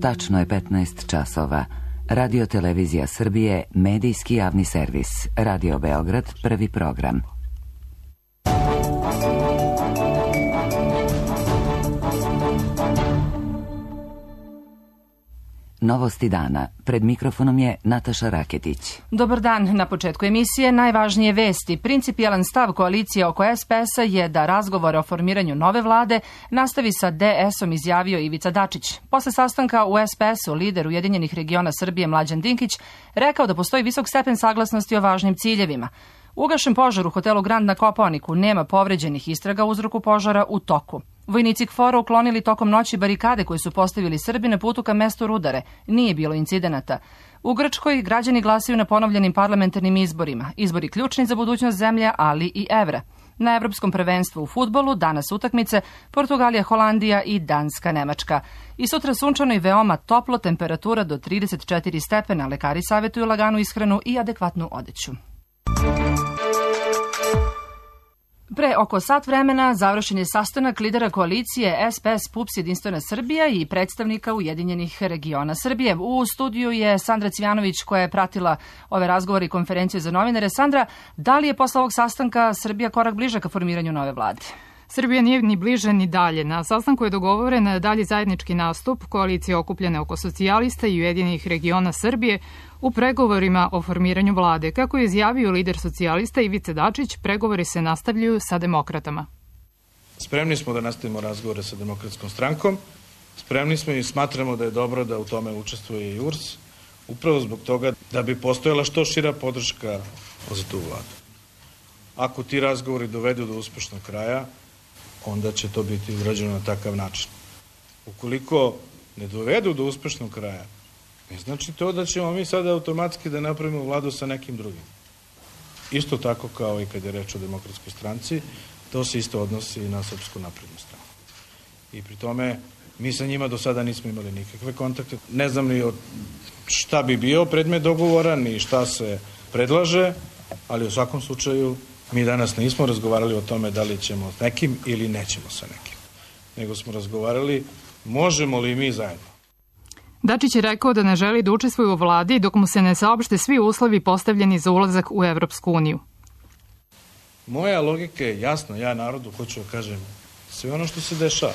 Tačno je 15 časova. Radio Televizija Srbije, medijski javni servis. Radio Beograd, prvi program. Novosti dana. Pred mikrofonom je Nataša Raketić. Dobar dan. Na početku emisije najvažnije vesti. Principijelan stav koalicije oko SPS-a je da razgovore o formiranju nove vlade nastavi sa DS-om, izjavio Ivica Dačić. Posle sastanka u SPS-u lider Ujedinjenih regiona Srbije Mlađan Dinkić rekao da postoji visok stepen saglasnosti o važnim ciljevima. Ugašen požar u hotelu Grand na Kopaoniku, nema povređenih, istraga o uzroku požara u toku. Vojnici KFOR-a uklonili tokom noći barikade koje su postavili Srbi na putu ka mestu Rudare. Nije bilo incidenata. U Grčkoj građani glasaju na ponovljenim parlamentarnim izborima. Izbori ključni za budućnost zemlje, ali i evra. Na Evropskom prvenstvu u fudbalu danas utakmice Portugalija, Holandija i Danska, Nemačka. I sutra sunčano i veoma toplo, temperatura do 34 stepena. Lekari savjetuju laganu ishranu i adekvatnu odeću. Pre oko sat vremena završen je sastanak lidera koalicije SPS PUPS Jedinstvena Srbija i predstavnika Ujedinjenih regiona Srbije. U studiju je Sandra Cvjanović koja je pratila ove razgovore i konferencije za novinare. Sandra, da li je posle ovog sastanka Srbija korak bliže ka formiranju nove vlade? Srbija nije ni bliže ni dalje. Na sastanku je dogovoren dalji zajednički nastup koalicije okupljene oko socijalista i Ujedinjenih regiona Srbije u pregovorima o formiranju vlade. Kako je izjavio lider socijalista Ivica Dačić, pregovori se nastavljaju sa demokratama. Spremni smo da nastavimo razgovore sa Demokratskom strankom. Spremni smo i smatramo da je dobro da u tome učestvuje i URS, upravo zbog toga da bi postojala što šira podrška za tu vladu. Ako ti razgovori dovedu do uspešnog kraja, onda će to biti urađeno na takav način. Ukoliko ne dovedu do uspešnog kraja, ne znači to da ćemo mi sada automatski da napravimo vladu sa nekim drugim. Isto tako kao i kad je reč o Demokratskoj stranci, to se isto odnosi i na Srpsku naprednu stranu. I pri tome mi sa njima do sada nismo imali nikakve kontakte. Ne znam ni šta bi bio predmet dogovora, ni šta se predlaže, ali u svakom slučaju mi danas nismo razgovarali o tome da li ćemo s nekim ili nećemo sa nekim. Nego smo razgovarali možemo li mi zajedno. Dačić je rekao da ne želi da učestvuje u vladi dok mu se ne saopšte svi uslovi postavljeni za ulazak u Evropsku uniju. Moja logika je jasna. Ja narodu hoću da kažem sve ono što se dešava.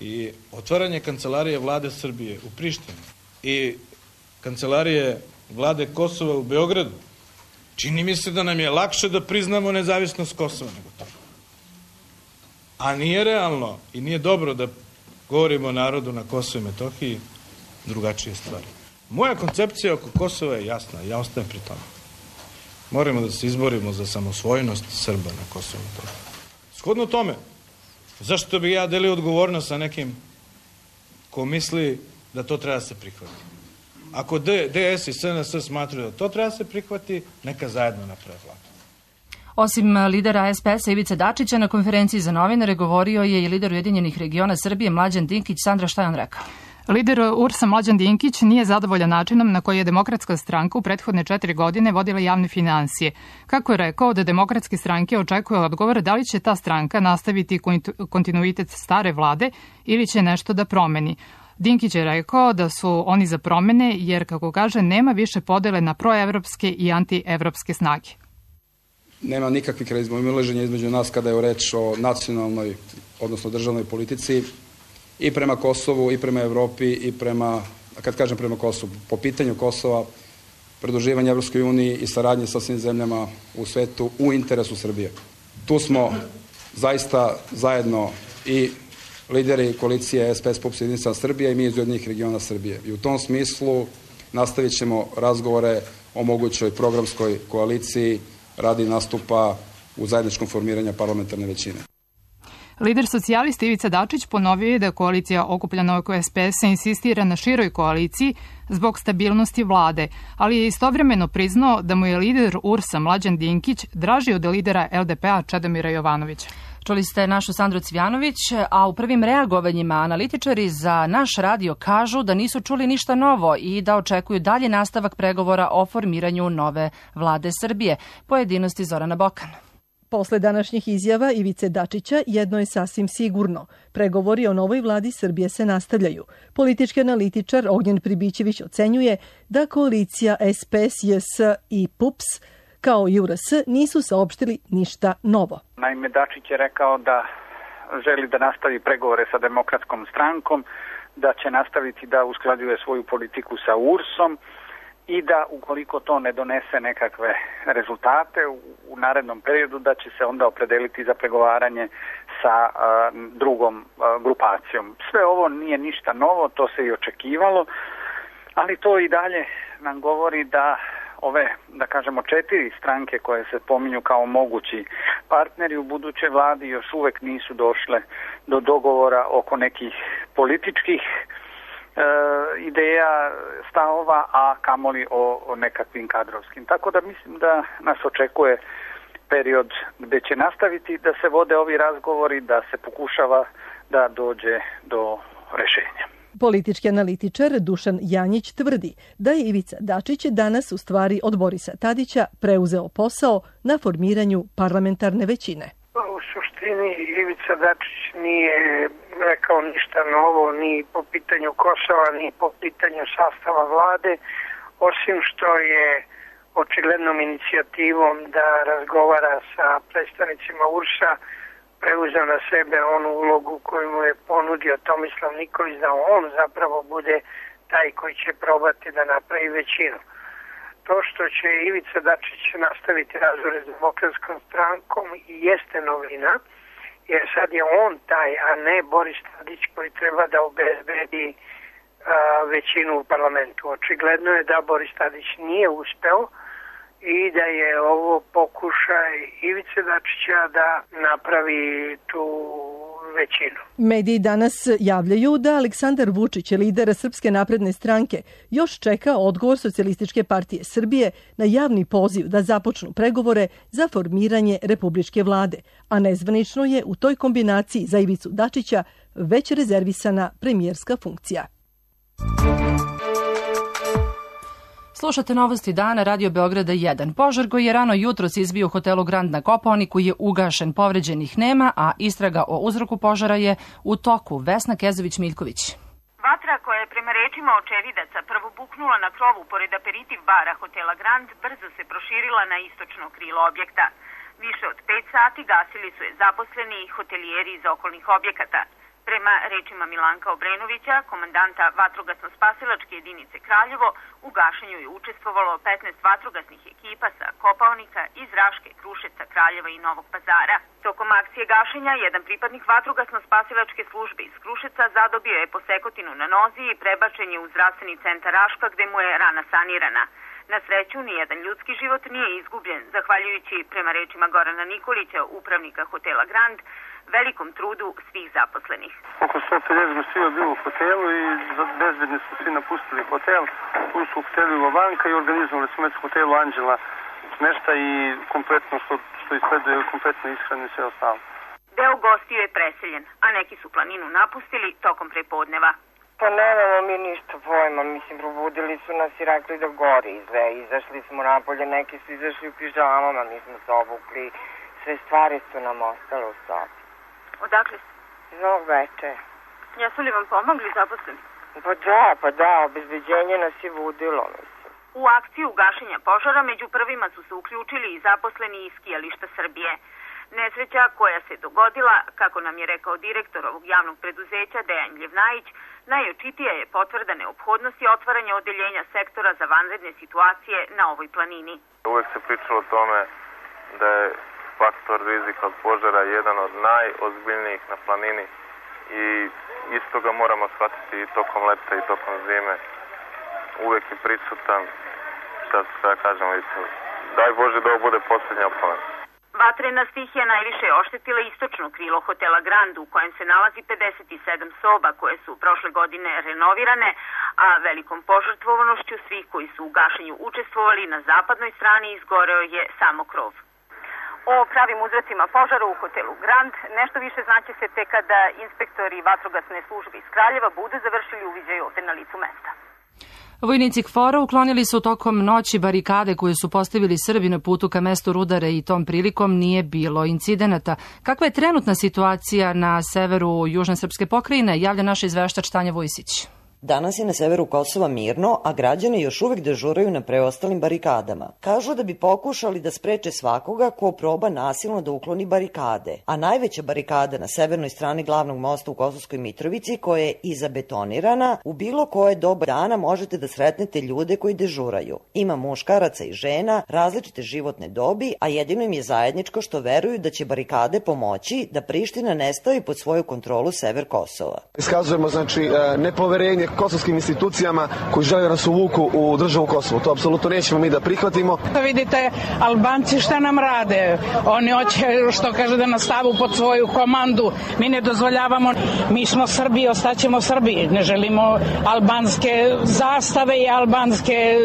I otvaranje kancelarije vlade Srbije u Prištini i kancelarije vlade Kosova u Beogradu, čini mi se da nam je lakše da priznamo nezavisnost Kosova nego to. A nije realno i nije dobro da govorimo narodu na Kosovu i Metohiji drugačije stvari. Moja koncepcija oko Kosova je jasna, ja ostajem pri tome. Moramo da se izborimo za samosvojnost Srba na Kosovu i Metohiji. Shodno tome, zašto bi ja delio odgovornost sa nekim ko misli da to treba da se prihvati? Ako DS i SNS smatruju da to treba da se prihvati, neka zajedno naprave vladu. Osim lidera SPS-a Ivice Dačića, na konferenciji za novinare govorio je i lider Ujedinjenih regiona Srbije Mlađan Dinkić. Sandra, šta je on rekao? Lider URS-a Mlađan Dinkić nije zadovoljan načinom na koji je Demokratska stranka u prethodne 4 godine vodila javne finansije. Kako je rekao da Demokratske stranke očekuje odgovor da li će ta stranka nastaviti kontinuitet stare vlade ili će nešto da promeni. Dinkić je rekao da su oni za promene jer, kako kaže, nema više podele na proevropske i antievropske snage. Nema nikakvih razmimoilaženja između nas kada je reč o nacionalnoj, odnosno državnoj politici i prema Kosovu, i prema Evropi, i prema, kad kažem prema Kosovu, po pitanju Kosova, pridruživanja Evropskoj uniji i saradnje sa svim zemljama u svetu u interesu Srbije. Tu smo zaista zajedno i lideri koalicije SPS PUPS Jedinstvena Srbija i mi iz Ujedinjenih regiona Srbije. I u tom smislu nastavit ćemo razgovore o mogućoj programskoj koaliciji radi nastupa u zajedničkom formiranju parlamentarne većine. Lider socijalista Ivica Dačić ponovio je da koalicija okupljena oko SPS-a insistira na široj koaliciji zbog stabilnosti vlade, ali je istovremeno priznao da mu je lider URS-a Mlađan Dinkić draži od lidera LDP-a Čedomira Jovanovića. Čuli ste našu Sandru Cvjanović, a u prvim reagovanjima analitičari za naš radio kažu da nisu čuli ništa novo i da očekuju dalje nastavak pregovora o formiranju nove vlade Srbije. Pojedinosti Zorana Bokan. Posle današnjih izjava Ivice Dačića jedno je sasvim sigurno. Pregovori o novoj vladi Srbije se nastavljaju. Politički analitičar Ognjen Pribićević ocenjuje da koalicija SPS, JS i PUPS kao i URS nisu saopštili ništa novo. Naime, Dačić je rekao da želi da nastavi pregovore sa Demokratskom strankom, da će nastaviti da usklađuje svoju politiku sa URS-om i da ukoliko to ne donese nekakve rezultate u narednom periodu da će se onda opredeliti za pregovaranje sa drugom grupacijom. Sve ovo nije ništa novo, to se i očekivalo, ali to i dalje nam govori da ove, da kažemo, 4 stranke koje se pominju kao mogući partneri u budućoj vladi još uvek nisu došle do dogovora oko nekih političkih ideja, stavova, a kamoli o nekakvim kadrovskim. Tako da mislim da nas očekuje period gde će nastaviti da se vode ovi razgovori, da se pokušava da dođe do rešenja. Politički analitičar Dušan Janjić tvrdi da je Ivica Dačić danas u stvari od Borisa Tadića preuzeo posao na formiranju parlamentarne većine. U suštini Ivica Dačić nije rekao ništa novo ni po pitanju Kosova, ni po pitanju sastava vlade, osim što je očiglednom inicijativom da razgovara sa predstavnicima URS-a preuzeo na sebe onu ulogu koju mu je ponudio Tomislav Nikolić, da on zapravo bude taj koji će probati da napravi većinu. To što će Ivica Dačić nastaviti razgovore s Demokratskom strankom jeste novina, jer sad je on taj, a ne Boris Tadić koji treba da obezbedi većinu u parlamentu. Očigledno je da Boris Tadić nije uspeo i da je ovo pokušaj Ivice Dačića da napravi tu većinu. Mediji danas javljaju da Aleksandar Vučić, lider Srpske napredne stranke, još čeka odgovor Socijalističke partije Srbije na javni poziv da započnu pregovore za formiranje republičke vlade, a nezvanično je u toj kombinaciji za Ivicu Dačića već rezervisana premijerska funkcija. Slušate novosti dana Radio Beograda 1. Požar koji je rano jutros izbio u hotelu Grand na Kopaoniku je ugašen, povređenih nema, a istraga o uzroku požara je u toku. Vesna Kezović-Miljković. Vatra koja je prema rečima očevidaca prvo buknula na krovu pored aperitiv bara hotela Grand brzo se proširila na istočno krilo objekta. Više od 5 sati gasili su je zaposleni i hotelijeri iz okolnih objekata. Prema rečima Milanka Obrenovića, komandanta vatrogasno-spasilačke jedinice Kraljevo, u gašenju je učestvovalo 15 vatrogasnih ekipa sa Kopaonika, iz Raške, Kruševca, Kraljeva i Novog Pazara. Tokom akcije gašenja, jedan pripadnik vatrogasno-spasilačke službe iz Kruševca zadobio je posekotinu na nozi i prebačen je u zdravstveni centar Raška gde mu je rana sanirana. Na sreću, nijedan ljudski život nije izgubljen, zahvaljujući, prema rečima Gorana Nikolića, upravnika hotela Grand, velikom trudu svih zaposlenih. Oko 150 gostiju je bilo u hotelu i bezbedni su svi napustili hotel. Ušli su u hotelu Lovanka i organizovali smo u hotelu Anđela smešta i kompletno što izgleduje kompletno ishranu i sve ostalo. Deo gostiju je preseljen, a neki su planinu napustili tokom prepodneva. Pa nemamo mi ništa pojma, mislim, probudili su nas i rekli da gori sve, izašli smo napolje, neki su izašli u pižamama, mi smo se obukli, sve stvari su nam ostale u sobi. Odakle ste? Iz Novog Bečeja. Jesu li vam pomogli zaposleni? Pa da, obezbeđenje nas je budilo, mislim. U akciju gašenja požara među prvima su se uključili i zaposleni iz skijališta Srbije. Nesreća koja se dogodila, kako nam je rekao direktor ovog javnog preduzeća Dejan Ljevnajić, najočitija je potvrda neophodnosti otvaranja odeljenja sektora za vanredne situacije na ovoj planini. Uvek se pričalo o tome da je faktor rizika od požara jedan od najozbiljnijih na planini i isto ga moramo shvatiti i tokom leta i tokom zime. Uvek je prisutan, šta kažemo, daj Bože da ovo bude posljednja opomena. Vatrena stihija najviše je oštetila istočno krilo hotela Grand, u kojem se nalazi 57 soba koje su prošle godine renovirane, a velikom požrtvovanošću svih koji su u gašenju učestvovali na zapadnoj strani izgoreo je samo krov. O pravim uzrocima požara u hotelu Grand nešto više znaće se tek kada inspektori vatrogasne službe iz Kraljeva budu završili uviđaj ovde na licu mesta. Vojnici KFOR-a uklonili su tokom noći barikade koje su postavili Srbi na putu ka mestu Rudare i tom prilikom nije bilo incidenata. Kakva je trenutna situacija na severu južne srpske pokrajine, javlja naš izveštač Tanja Vujsić. Danas je na severu Kosova mirno, a građani još uvek dežuraju na preostalim barikadama. Kažu da bi pokušali da spreče svakoga ko proba nasilno da ukloni barikade, a najveća barikada na severnoj strani glavnog mosta u Kosovskoj Mitrovici, koja je i zabetonirana, u bilo koje doba dana možete da sretnete ljude koji dežuraju. Ima muškaraca i žena, različite životne dobi, a jedino im je zajedničko što veruju da će barikade pomoći da Priština ne stavi pod svoju kontrolu sever Kosova. Iskazujemo nepoverenje kosovskim institucijama koji žele da nas uvuku u državu Kosovo. To apsolutno nećemo mi da prihvatimo. Vidite, Albanci šta nam rade? Oni hoće, što kaže, da nas stavu pod svoju komandu. Mi ne dozvoljavamo. Mi smo Srbi, ostaćemo Srbi. Ne želimo albanske zastave i albanske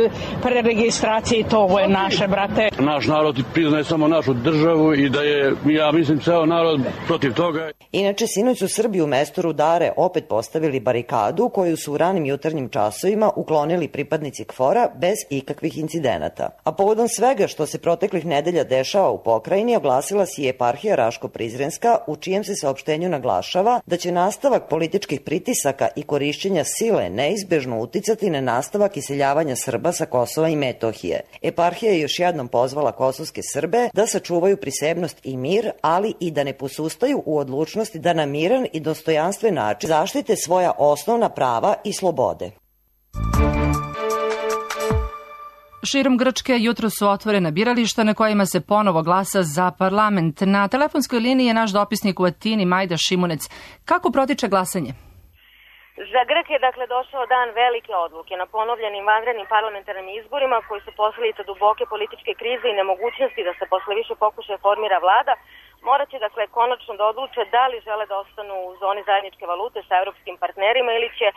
preregistracije i to. Ovo je naše, brate. Naš narod priznaje samo našu državu i da je, ja mislim, ceo narod protiv toga. Inače, sinoć su Srbi u mestu Rudare opet postavili barikadu koju su u ranim jutarnjim časovima uklonili pripadnici KFOR-a bez ikakvih incidenata. A povodom svega što se proteklih nedelja dešava u pokrajini, oglasila si je eparhija Raško-Prizrenska, u čijem se saopštenju naglašava da će nastavak političkih pritisaka i korišćenja sile neizbežno uticati na nastavak iseljavanja Srba sa Kosova i Metohije. Eparhija je još jednom pozvala kosovske Srbe da sačuvaju prisebnost i mir, ali i da ne posustaju u odlučnosti da na miran i dostojanstven način zaštite svoja osnovna prava i slobode. Širom Grčke jutro su otvorena birališta na kojima se ponovo glasa za parlament. Na telefonskoj liniji je naš dopisnik u Atini Majda Šimunec. Kako protiče glasanje? Za Grk je došao dan velike odluke na ponovljenim vanrednim parlamentarnim izborima koji su posledica duboke političke krize i nemogućnosti da se posle više pokušaja formira vlada. Morat će konačno da odluče da li žele da ostanu u zoni zajedničke valute sa evropskim partnerima ili će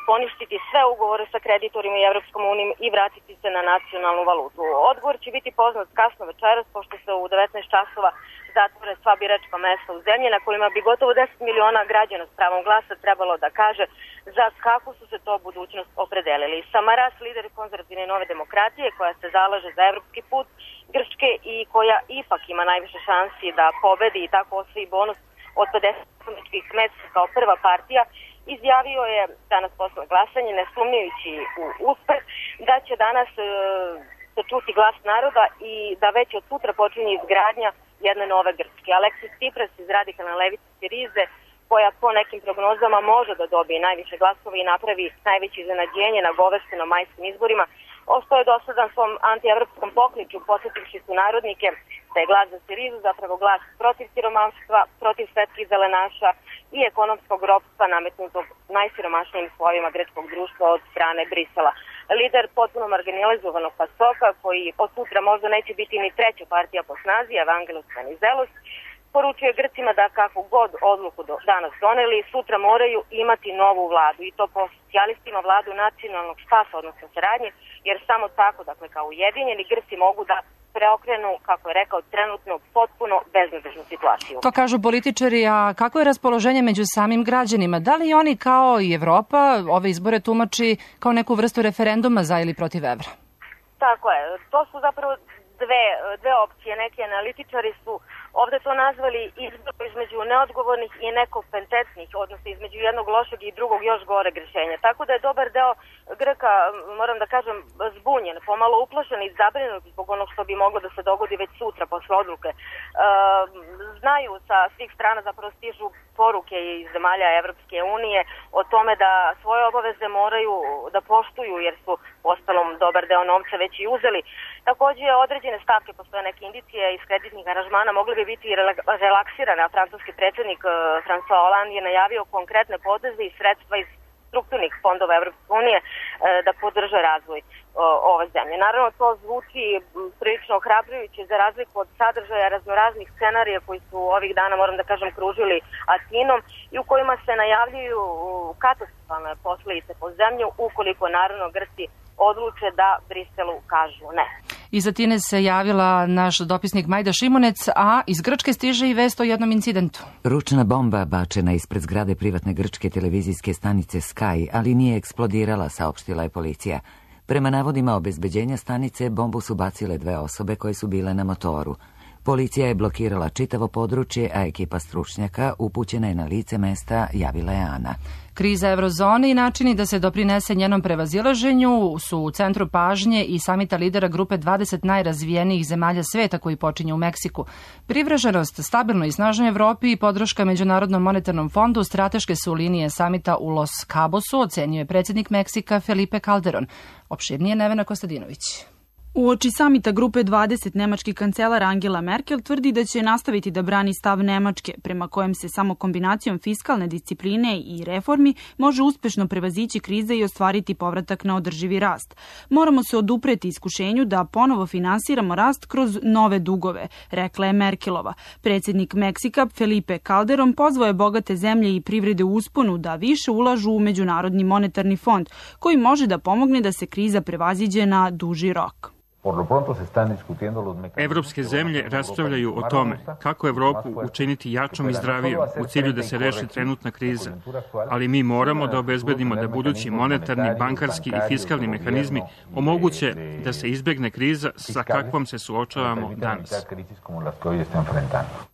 poništiti sve ugovore sa kreditorima i Evropskom unijom i vratiti se na nacionalnu valutu. Odgovor će biti poznat kasno večeras, pošto se u 19 časova zatvore sva biračka mesta u zemlji na kojima bi gotovo 10 miliona građana s pravom glasa trebalo da kaže za kakvu su se to budućnost opredelili. Samaras, lider konzervativne Nove demokratije, koja se zalaže za evropski put Grčke i koja ipak ima najviše šansi da pobedi i tako osvoji bonus od 50 poslaničkih mesta kao prva partija, izjavio je danas posle glasanja, ne sumnjajući u uspeh, da će danas se čuti glas naroda i da već od sutra počinje izgradnja jedne nove Grčke. Aleksis Tsipras iz radikalne levice Sirize, koja po nekim prognozama može da dobije najviše glasova i napravi najveće iznenađenje na goveštenom majskim izborima, ostao je dosadan svom antievropskom pokliču, posjetivši su narodnike da je glas za Sirizu zapravo glas protiv siromaštva, protiv svetskih zelenaša i ekonomskog ropstva nametnutog najsiromašnijim slovima grčkog društva od strane Brisela. Lider potpuno marginalizovanog PASOK-a, koji od sutra možda neće biti ni treća partija po snazi, Evangelos Venizelos, poručuje Grcima da kakvu god odluku danas doneli, sutra moraju imati novu vladu i to po socijalistima vladu nacionalnog spasa, odnosno saradnje, jer samo tako, kao ujedinjeni Grci mogu da preokrenu, kako je rekao, trenutno potpuno beznadežnu situaciju. To kažu političari, a kako je raspoloženje među samim građanima? Da li oni kao i Evropa ove izbore tumači kao neku vrstu referenduma za ili protiv evra? Tako je. To su zapravo dve opcije. Neki analitičari su ovde to nazvali izbor između neodgovornih i nekompetentnih, odnosno između jednog lošeg i drugog još gore rešenja. Tako da je dobar deo Grka, moram da kažem, zbunjen, pomalo uplašen i zabrinut zbog onog što bi moglo da se dogodi već sutra posle odluke. Znaju sa svih strana, zapravo stižu poruke iz zemalja Evropske unije o tome da svoje obaveze moraju da poštuju jer su ostalom dobar deo novca već i uzeli. Takođe, određene stavke, postoje neke indicije iz kreditnih aranžmana, mogle bi biti relaksirane, a francuski predsjednik François Hollande je najavio konkretne poteze i sredstva iz strukturnih fondova Evropske unije da podrže razvoj ove zemlje. Naravno, to zvuči prilično ohrabrujuće za razliku od sadržaja raznoraznih scenarija koji su ovih dana, moram da kažem, kružili Atinom i u kojima se najavljuju katastrofalne posledice po zemlju ukoliko naravno Grci odluče da Briselu kažu ne. Iz Atine se javila naš dopisnik Majda Šimunec, a iz Grčke stiže i vest o jednom incidentu. Ručna bomba bačena ispred zgrade privatne grčke televizijske stanice Sky, ali nije eksplodirala, saopštila je policija. Prema navodima obezbeđenja stanice, bombu su bacile 2 osobe koje su bile na motoru. Policija je blokirala čitavo područje, a ekipa stručnjaka upućena je na lice mesta, javila je Ana. Kriza eurozone i načini da se doprinese njenom prevazilaženju su u centru pažnje i samita lidera grupe 20 najrazvijenijih zemalja sveta koji počinje u Meksiku. Privrženost stabilnoj i snažnoj Evropi i podrška Međunarodnom monetarnom fondu strateške su linije samita u Los Cabosu, ocenio je predsjednik Meksika Felipe Calderon. Opširnije Nevena Kostadinović. Uoči samita grupe 20 nemački kancelar Angela Merkel tvrdi da će nastaviti da brani stav Nemačke, prema kojem se samo kombinacijom fiskalne discipline i reformi može uspešno prevazići krize i ostvariti povratak na održivi rast. Moramo se odupreti iskušenju da ponovo finansiramo rast kroz nove dugove, rekla je Merkelova. Predsjednik Meksika Felipe Calderon pozvao je bogate zemlje i privrede u usponu da više ulažu u Međunarodni monetarni fond, koji može da pomogne da se kriza prevaziđe na duži rok. Evropske zemlje raspravljaju o tome kako Evropu učiniti jačom i zdravijom u cilju da se reši trenutna kriza, ali mi moramo da obezbedimo da budući monetarni, bankarski i fiskalni mehanizmi omoguće da se izbegne kriza sa kakvom se suočavamo danas.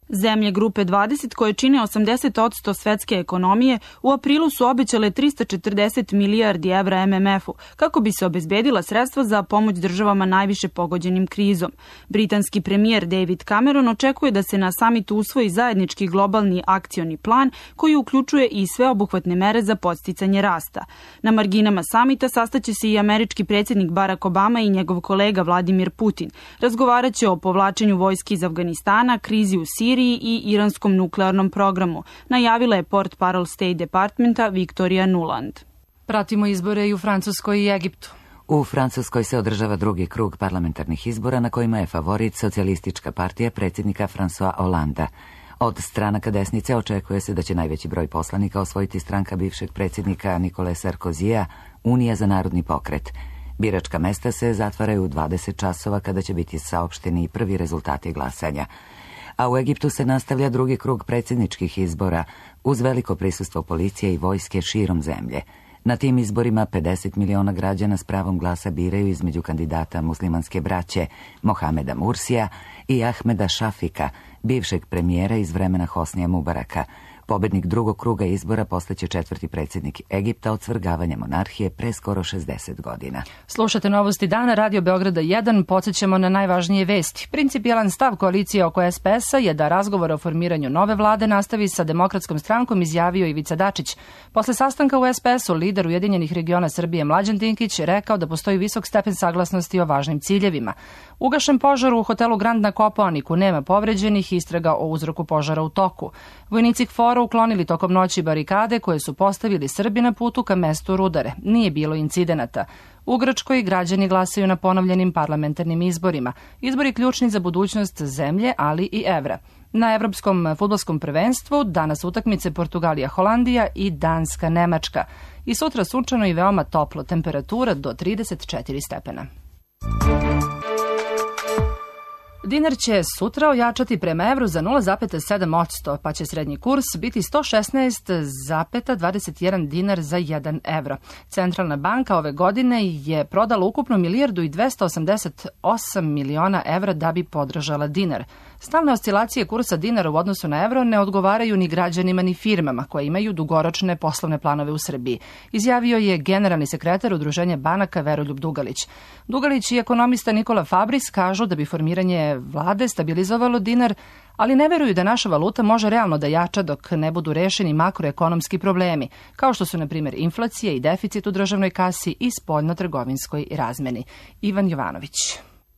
Zemlje grupe 20, koje čine 80% svetske ekonomije, u aprilu su obećale 340 milijardi evra MMF-u kako bi se obezbedila sredstva za pomoć državama najviše pogođenim krizom. Britanski premijer David Cameron očekuje da se na samitu usvoji zajednički globalni akcioni plan koji uključuje i sveobuhvatne mere za podsticanje rasta. Na marginama samita sastaće se i američki predsjednik Barack Obama i njegov kolega Vladimir Putin. Razgovaraće o povlačenju vojski iz Afganistana, krizi u Siriji i iranskom nuklearnom programu, najavila je Portparol State Departmenta Victoria Nuland. Pratimo izbore i u Francuskoj i Egiptu. U Francuskoj se održava drugi krug parlamentarnih izbora na kojima je favorit socijalistička partija predsjednika François Hollanda. Od stranaka desnice očekuje se da će najveći broj poslanika osvojiti stranka bivšeg predsjednika Nicolas Sarkozija, Unija za narodni pokret. Biračka mesta se zatvaraju u 20 časova kada će biti saopšteni i prvi rezultati glasanja. A u Egiptu se nastavlja drugi krug predsjedničkih izbora uz veliko prisustvo policije i vojske širom zemlje. Na tim izborima 50 miliona građana s pravom glasa biraju između kandidata muslimanske braće Mohameda Mursija i Ahmeda Šafika, bivšeg premijera iz vremena Hosnija Mubaraka. Pobednik drugog kruga izbora postaće 4. predsjednik Egipta od svrgavanja monarhije pre skoro 60 godina. Slušate novosti dana, Radio Beograda 1, podsjećamo na najvažnije vesti. Principijelan stav koalicije oko SPS-a je da razgovor o formiranju nove vlade nastavi sa Demokratskom strankom, izjavio Ivica Dačić. Posle sastanka u SPS-u lider Ujedinjenih regiona Srbije Mlađan Dinkić rekao da postoji visok stepen saglasnosti o važnim ciljevima. Ugašen požar u hotelu Grand na Kopaoniku, nema povređenih, istraga o uzroku požara u toku. Vojnici KFOR-a uklonili tokom noći barikade koje su postavili Srbi na putu ka mestu Rudare. Nije bilo incidenata. U Grčkoj građani glasaju na ponovljenim parlamentarnim izborima. Izbori ključni za budućnost zemlje, ali i evra. Na evropskom fudbalskom prvenstvu danas utakmice Portugalija-Holandija i Danska-Nemačka. I sutra sunčano i veoma toplo, temperatura do 34 stepena. Dinar će sutra ojačati prema evru za 0,7%, pa će srednji kurs biti 116,21 dinar za 1 evro. Centralna banka ove godine je prodala ukupno 1.288 miliona evra da bi podržala dinar. Stalne oscilacije kursa dinara u odnosu na evro ne odgovaraju ni građanima ni firmama koje imaju dugoročne poslovne planove u Srbiji, izjavio je generalni sekretar Udruženja banaka Veroljub Dugalić. Dugalić i ekonomista Nikola Fabris kažu da bi formiranje vlade stabilizovalo dinar, ali ne veruju da naša valuta može realno da jača dok ne budu rešeni makroekonomski problemi, kao što su, na primjer, inflacija i deficit u državnoj kasi i spoljno-trgovinskoj razmeni. Ivan Jovanović.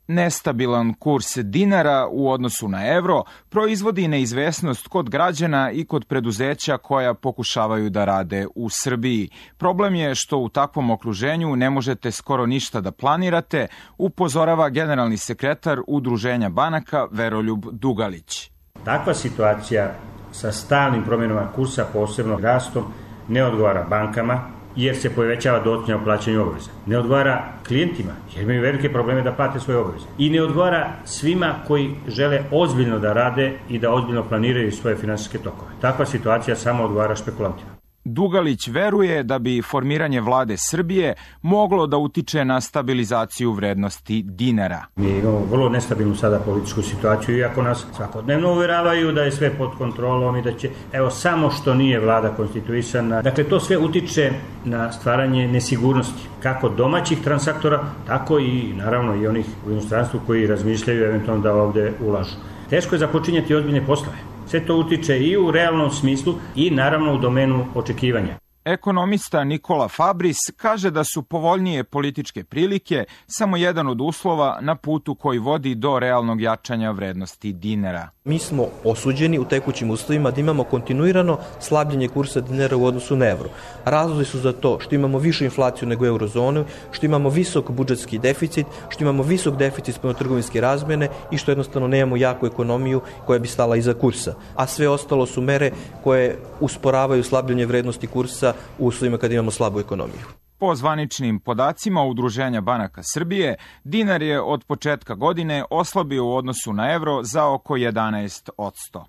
Nestabilan kurs dinara u odnosu na evro proizvodi neizvesnost kod građana i kod preduzeća koja pokušavaju da rade u Srbiji. Problem je što u takvom okruženju ne možete skoro ništa da planirate, upozorava generalni sekretar Udruženja banaka Veroljub Dugalić. Takva situacija sa stalnim promjenama kursa, posebno rastom, ne odgovara bankama, jer se povećava dodatnja o plaćanju obaveza. Ne odgovara klijentima, jer imaju velike probleme da plate svoje obaveze. I ne odgovara svima koji žele ozbiljno da rade i da ozbiljno planiraju svoje finansijske tokove. Takva situacija samo odgovara špekulantima. Dugalić veruje da bi formiranje vlade Srbije moglo da utiče na stabilizaciju vrednosti dinara. Mi imamo vrlo nestabilnu sada političku situaciju, iako nas svakodnevno uveravaju da je sve pod kontrolom i da će, evo, samo što nije vlada konstituisana. Dakle, to sve utiče na stvaranje nesigurnosti, kako domaćih transaktora, tako i naravno i onih u inostranstvu koji razmišljaju eventualno da ovde ulažu. Teško je započinjati ozbiljne poslove. Sve to utiče i u realnom smislu i naravno u domenu očekivanja. Ekonomista Nikola Fabris kaže da su povoljnije političke prilike samo jedan od uslova na putu koji vodi do realnog jačanja vrednosti dinara. Mi smo osuđeni u tekućim uslovima da imamo kontinuirano slabljenje kursa dinara u odnosu na evro. Razlozi su za to što imamo višu inflaciju nego eurozonu, što imamo visok budžetski deficit, što imamo visok deficit spoljnotrgovinske razmene i što jednostavno nemamo jaku ekonomiju koja bi stala iza kursa. A sve ostalo su mere koje usporavaju slabljenje vrednosti kursa u uslovima kada imamo slabu ekonomiju. Po zvaničnim podacima Udruženja banaka Srbije, dinar je od početka godine oslabio u odnosu na evro za oko 11%.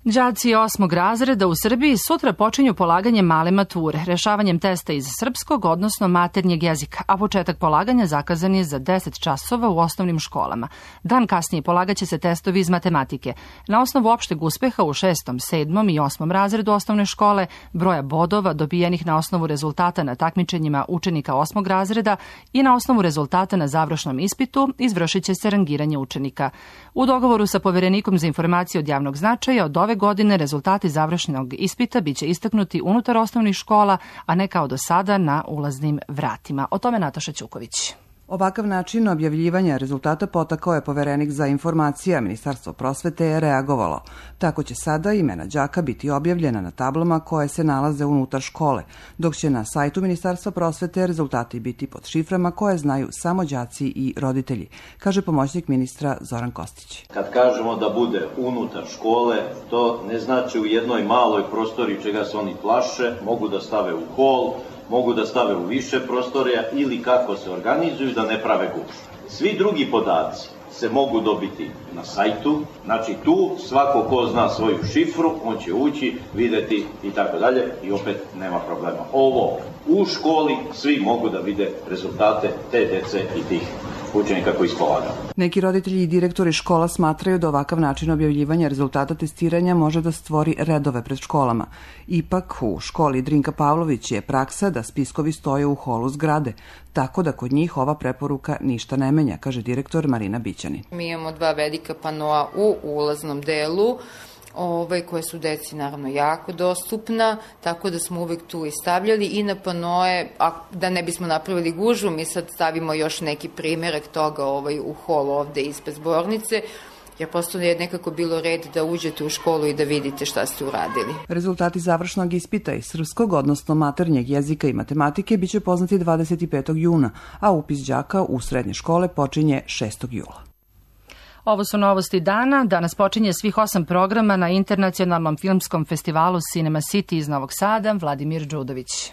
Đaci 8. razreda u Srbiji sutra počinju polaganje male mature, rešavanjem testa iz srpskog, odnosno maternjeg jezika, a početak polaganja zakazan je za 10 časova u osnovnim školama. Dan kasnije polagaće se testovi iz matematike. Na osnovu opšteg uspeha u 6., 7. i 8. razredu osnovne škole, broja bodova dobijenih na osnovu rezultata na takmičenjima učenika 8. razreda i na osnovu rezultata na završnom ispitu izvršit će se rangiranje učenika. U dogovoru sa Poverenikom za informacije od javnog značaja od ove godine rezultati završnog ispita biće istaknuti unutar osnovnih škola, a ne kao do sada na ulaznim vratima. O tome Nataša Ćuković. Ovakav način objavljivanja rezultata potakao je Poverenik za informacije, a Ministarstvo prosvete je reagovalo. Tako će sada imena đaka biti objavljena na tablama koje se nalaze unutar škole, dok će na sajtu Ministarstva prosvete rezultati biti pod šiframa koje znaju samo đaci i roditelji, kaže pomoćnik ministra Zoran Kostić. Kad kažemo da bude unutar škole, to ne znači u jednoj maloj prostoriji čega se oni plaše, mogu da stave u hol, mogu da stave u više prostorija ili kako se organizuju da ne prave gužvu. Svi drugi podaci se mogu dobiti na sajtu, znači tu svako ko zna svoju šifru, on će ući, videti i tako dalje i opet nema problema. Ovo u školi svi mogu da vide rezultate te dece i tih učenika koji ispolagaju. Neki roditelji i direktori škola smatraju da ovakav način objavljivanja rezultata testiranja može da stvori redove pred školama. Ipak u školi Drinka Pavlović je praksa da spiskovi stoje u holu zgrade, tako da kod njih ova preporuka ništa ne menja, kaže direktor Marina Bićanin. Mi imamo 2 velika panoa u ulaznom delu, koje su deci naravno jako dostupna, tako da smo uvek tu i stavljali i na panoe, a da ne bismo napravili gužvu, mi sad stavimo još neki primjerak toga u hol ovde ispred zbornice, jer prosto je nekako bilo red da uđete u školu i da vidite šta ste uradili. Rezultati završnog ispita iz srpskog, odnosno maternjeg jezika i matematike, biće poznati 25. juna, a upis đaka u srednje škole počinje 6. jula. Ovo su novosti dana. Danas počinje svih 8 programa na Internacionalnom filmskom festivalu Cinema City iz Novog Sada. Vladimir Đudović.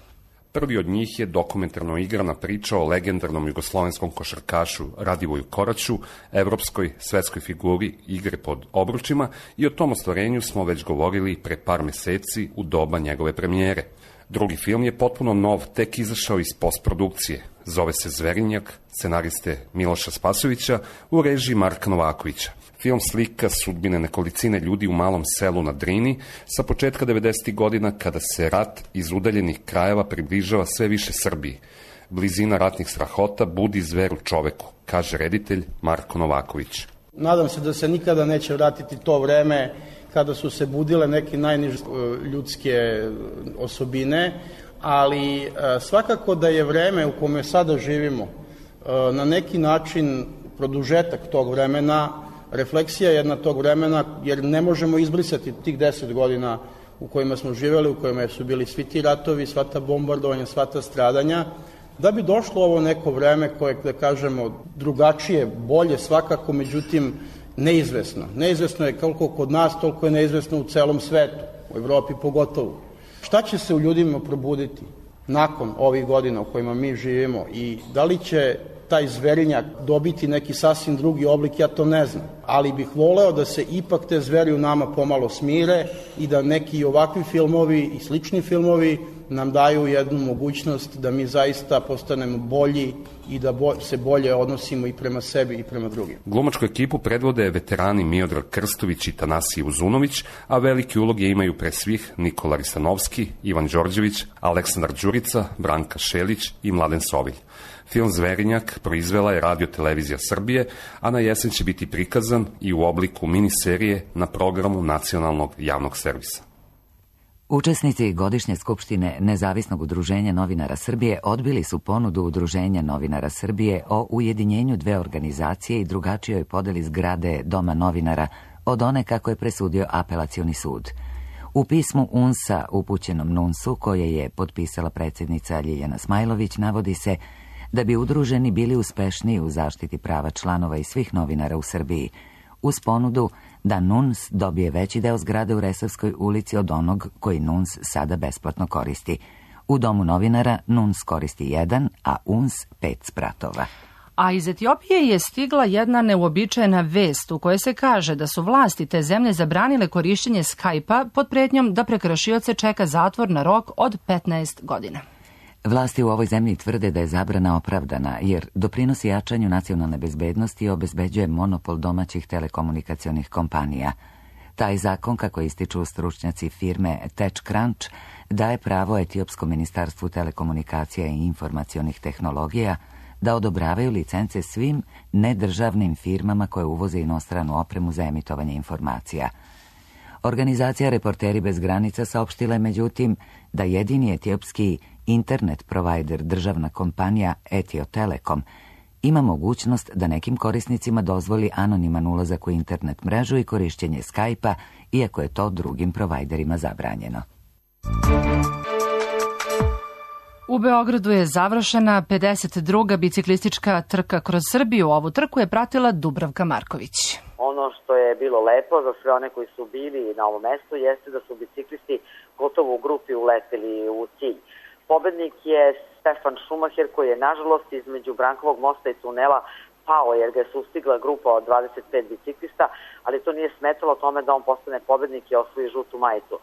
Prvi od njih je dokumentarno igrana priča o legendarnom jugoslovenskom košarkašu Radivoju Koraću, evropskoj svetskoj figuri igre pod obručima, i o tom ostvarenju smo već govorili pre par meseci u doba njegove premijere. Drugi film je potpuno nov, tek izašao iz postprodukcije. Zove se Zverinjak, scenariste Miloša Spasovića u režiji Marka Novakovića. Film slika sudbine nekolicine ljudi u malom selu na Drini sa početka 90. godina kada se rat iz udaljenih krajeva približava sve više Srbiji. Blizina ratnih strahota budi zver u čoveku, kaže reditelj Marko Novaković. Nadam se da se nikada neće vratiti to vreme kada su se budile neke najniže ljudske osobine, ali svakako da je vreme u kome sada živimo na neki način produžetak tog vremena, refleksija jedna tog vremena, jer ne možemo izbrisati tih 10 godina u kojima smo živjeli, u kojima su bili svi ti ratovi, sva ta bombardovanja, sva ta stradanja, da bi došlo ovo neko vreme koje, da kažemo, drugačije, bolje svakako, međutim, neizvesno. Neizvesno je koliko kod nas, toliko je neizvesno u celom svetu, u Evropi pogotovo. Šta će se u ljudima probuditi nakon ovih godina u kojima mi živimo i da li će taj zverinjak dobiti neki sasvim drugi oblik, ja to ne znam. Ali bih voleo da se ipak te zveri u nama pomalo smire i da neki ovakvi filmovi i slični filmovi nam daju jednu mogućnost da mi zaista postanemo bolji i da se bolje odnosimo i prema sebi i prema drugim. Glumačku ekipu predvode veterani Miodrag Krstović i Tanasije Uzunović, a velike uloge imaju pre svih Nikola Risanovski, Ivan Đorđević, Aleksandar Đurica, Branka Šelić i Mladen Sovilj. Film Zverinjak proizvela je Radio Televizija Srbije, a na jesen će biti prikazan i u obliku miniserije na programu Nacionalnog javnog servisa. Učesnici godišnje skupštine Nezavisnog udruženja novinara Srbije odbili su ponudu Udruženja novinara Srbije o ujedinjenju dve organizacije i drugačijoj podeli zgrade Doma novinara od one kako je presudio Apelacioni sud. U pismu UNS-a upućenom NUNS-u, koje je potpisala predsjednica Ljiljana Smajlović, navodi se da bi udruženi bili uspešniji u zaštiti prava članova i svih novinara u Srbiji, uz ponudu da NUNS dobije veći deo zgrade u Resavskoj ulici od onog koji NUNS sada besplatno koristi. U Domu novinara NUNS koristi 1, a UNS 5 spratova. A iz Etiopije je stigla jedna neuobičajena vest u kojoj se kaže da su vlasti te zemlje zabranile korišćenje Skype-a pod pretnjom da prekršioce čeka zatvor na rok od 15 godina. Vlasti u ovoj zemlji tvrde da je zabrana opravdana jer doprinosi jačanju nacionalne bezbednosti i obezbeđuje monopol domaćih telekomunikacionih kompanija. Taj zakon, kako ističu stručnjaci firme TechCrunch, daje pravo Etiopskom ministarstvu telekomunikacija i informacionih tehnologija da odobravaju licence svim nedržavnim firmama koje uvoze inostranu opremu za emitovanje informacija. Organizacija Reporteri bez granica saopštila je međutim da jedini etiopski internet provider, državna kompanija Etio Telekom, ima mogućnost da nekim korisnicima dozvoli anoniman ulazak u internet mrežu i korišćenje Skype-a, iako je to drugim provajderima zabranjeno. U Beogradu je završena 52. biciklistička trka kroz Srbiju. Ovu trku je pratila Dubravka Marković. Ono što je bilo lepo za sve one koji su bili na ovom mestu jeste da su biciklisti gotovo u grupi uleteli u cilj. Pobednik je Stefan Schumacher, koji je nažalost između Brankovog mosta i tunela pao jer ga je sustigla grupa od 25 biciklista, ali to nije smetalo tome da on postane pobednik i osvoji žutu majicu.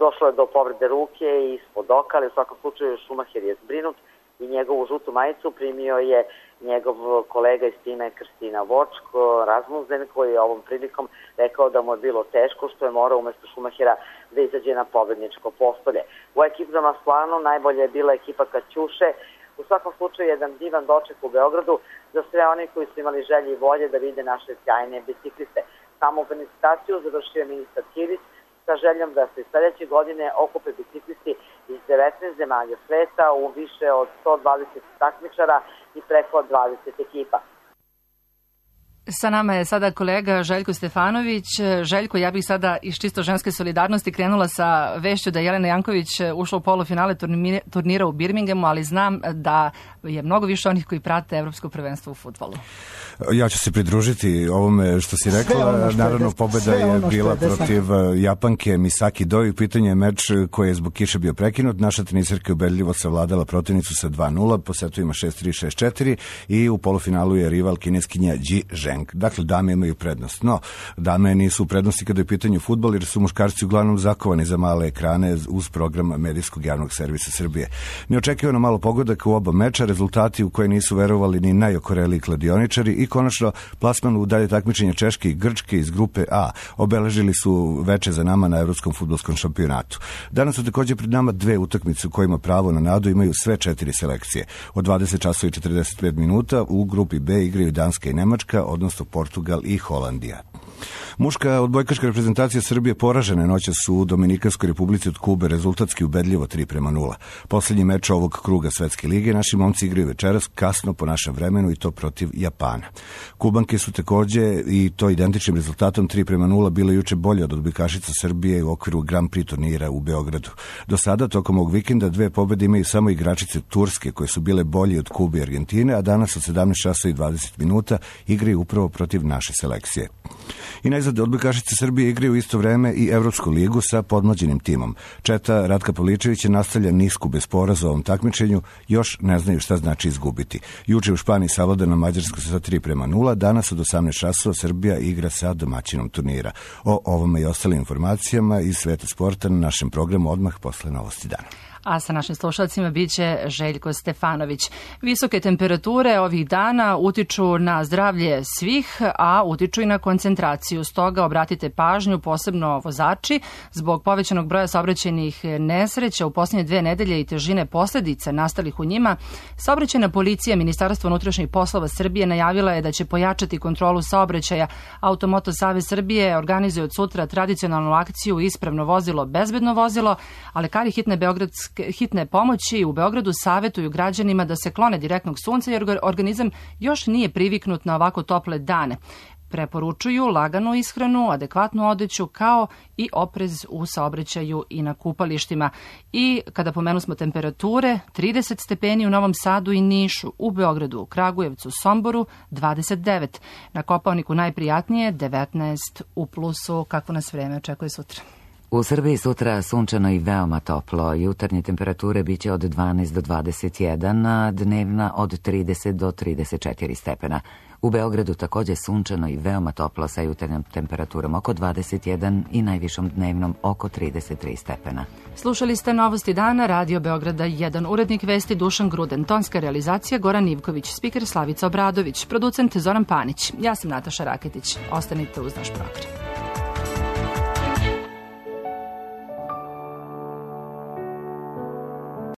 Došlo je do povrede ruke i ispod oka, ali u svakom slučaju Schumacher je zbrinut i njegovu žutu majicu primio je njegov kolega iz tima Kristina Vočk, Rasmussen, koji je ovom prilikom rekao da mu je bilo teško što je morao umesto Schumachera da izađe na pobedničko postolje. U ekipnom Aslanu najbolje je bila ekipa Kaćuše. U svakom slučaju jedan divan doček u Beogradu za sve oni koji su imali želje i volje da vide naše sjajne bicikliste. Samu felicitaciju završio je ministar Kirić sa željom da se sledeće godine okupe biciklisti iz 19 zemalja sveta u više od 120 takmičara i preko 20 ekipa. Sa nama je sada kolega Željko Stefanović. Željko, ja bih sada iz čisto ženske solidarnosti krenula sa vešću da je Jelena Janković ušla u polufinale turnira u Birminghamu, ali znam da je mnogo više onih koji prate Evropsko prvenstvo u fudbalu. Ja ću se pridružiti ovome što si rekla. Naravno, pobeda je bila protiv Japanke Misaki Doi. Pitanje je meč koji je zbog kiše bio prekinut. Naša tenisarka je ubedljivo savladala protivnicu sa 2-0, po setovima 6-3, 6-4 i u polufinalu je rival kineskinja Ji Zheng. Dakle, dame imaju prednost. No, dame nisu u prednosti kada je u pitanju fudbal, jer su muškarci uglavnom zakovani za male ekrane uz program Medijskog javnog servisa Srbije. Neočekivano malo pogodak u oba meča, rezultati u koje nisu verovali ni najokoreliji kladioničari i konačno plasman u dalje takmičenja Češke i Grčke iz grupe A obeležili su veče za nama na Evropskom fudbalskom šampionatu. Danas su također pred nama dve utakmice u kojima pravo na nadu imaju sve 4 selekcije. Od 20 časova i 45 minuta u grupi B igraju Danska i Nemačka, odnosno Portugal i Holandija. Muška odbojkaška reprezentacija Srbije poražena noćas u Dominikanskoj republici od Kube, rezultatski ubedljivo 3-0. Poslednji meč ovog kruga Svetske lige naši momci igraju večeras kasno po našem vremenu i to protiv Japana. Kubanke su takođe i to identičnim rezultatom 3:0 bile juče bolje od odbojkašica Srbije u okviru Grand Prix turnira u Beogradu. Do sada, tokom ovog vikenda, 2 pobede imaju samo igračice Turske, koje su bile bolje od Kube i Argentine, a danas od 17:20 igraju upravo protiv naše selekcije. I najzad, odbojkašice Srbije igraju u isto vreme i Evropsku ligu sa podmlađenim timom. Četa Ratka Pavličevića nastavlja nisku bez poraza u ovom takmičenju, još ne znaju šta znači izgubiti. Juče u Španiji savladana Mađarska sa 3:0, danas od 18:00 Srbija igra sa domaćinom turnira. O ovome i ostalim informacijama iz sveta sporta na našem programu odmah posle novosti dana. A sa našim slušalcima biće Željko Stefanović. Visoke temperature ovih dana utiču na zdravlje svih, a utiču i na koncentraciju. Stoga obratite pažnju, posebno vozači, zbog povećanog broja saobraćajnih nesreća u posljednje 2 nedelje i težine posledica nastalih u njima. Saobraćajna policija Ministarstva unutrašnjih poslova Srbije najavila je da će pojačati kontrolu saobraćaja. Automoto Savez Srbije organizuje od sutra tradicionalnu akciju Ispravno vozilo, bezbedno vozilo, a lekari hitne pomoći u Beogradu savetuju građanima da se klone direktnog sunca jer organizam još nije priviknut na ovako tople dane. Preporučuju laganu ishranu, adekvatnu odeću kao i oprez u saobraćaju i na kupalištima. I kada pomenu smo temperature, 30 stepeni u Novom Sadu i Nišu, u Beogradu, u Kragujevcu, Somboru 29, na Kopaoniku najprijatnije 19 u plusu. Kako nas vreme očekuje sutra? U Srbiji sutra sunčano i veoma toplo. Jutarnje temperature biće od 12 do 21, a dnevna od 30 do 34 stepena. U Beogradu takođe sunčano i veoma toplo sa jutarnjom temperaturom oko 21 i najvišom dnevnom oko 33 stepena. Slušali ste Novosti dana, Radio Beograda 1, urednik vesti Dušan Gruden, tonska realizacija Goran Ivković, spiker Slavica Obradović, producent Zoran Panić. Ja sam Nataša Raketić. Ostanite uz naš program.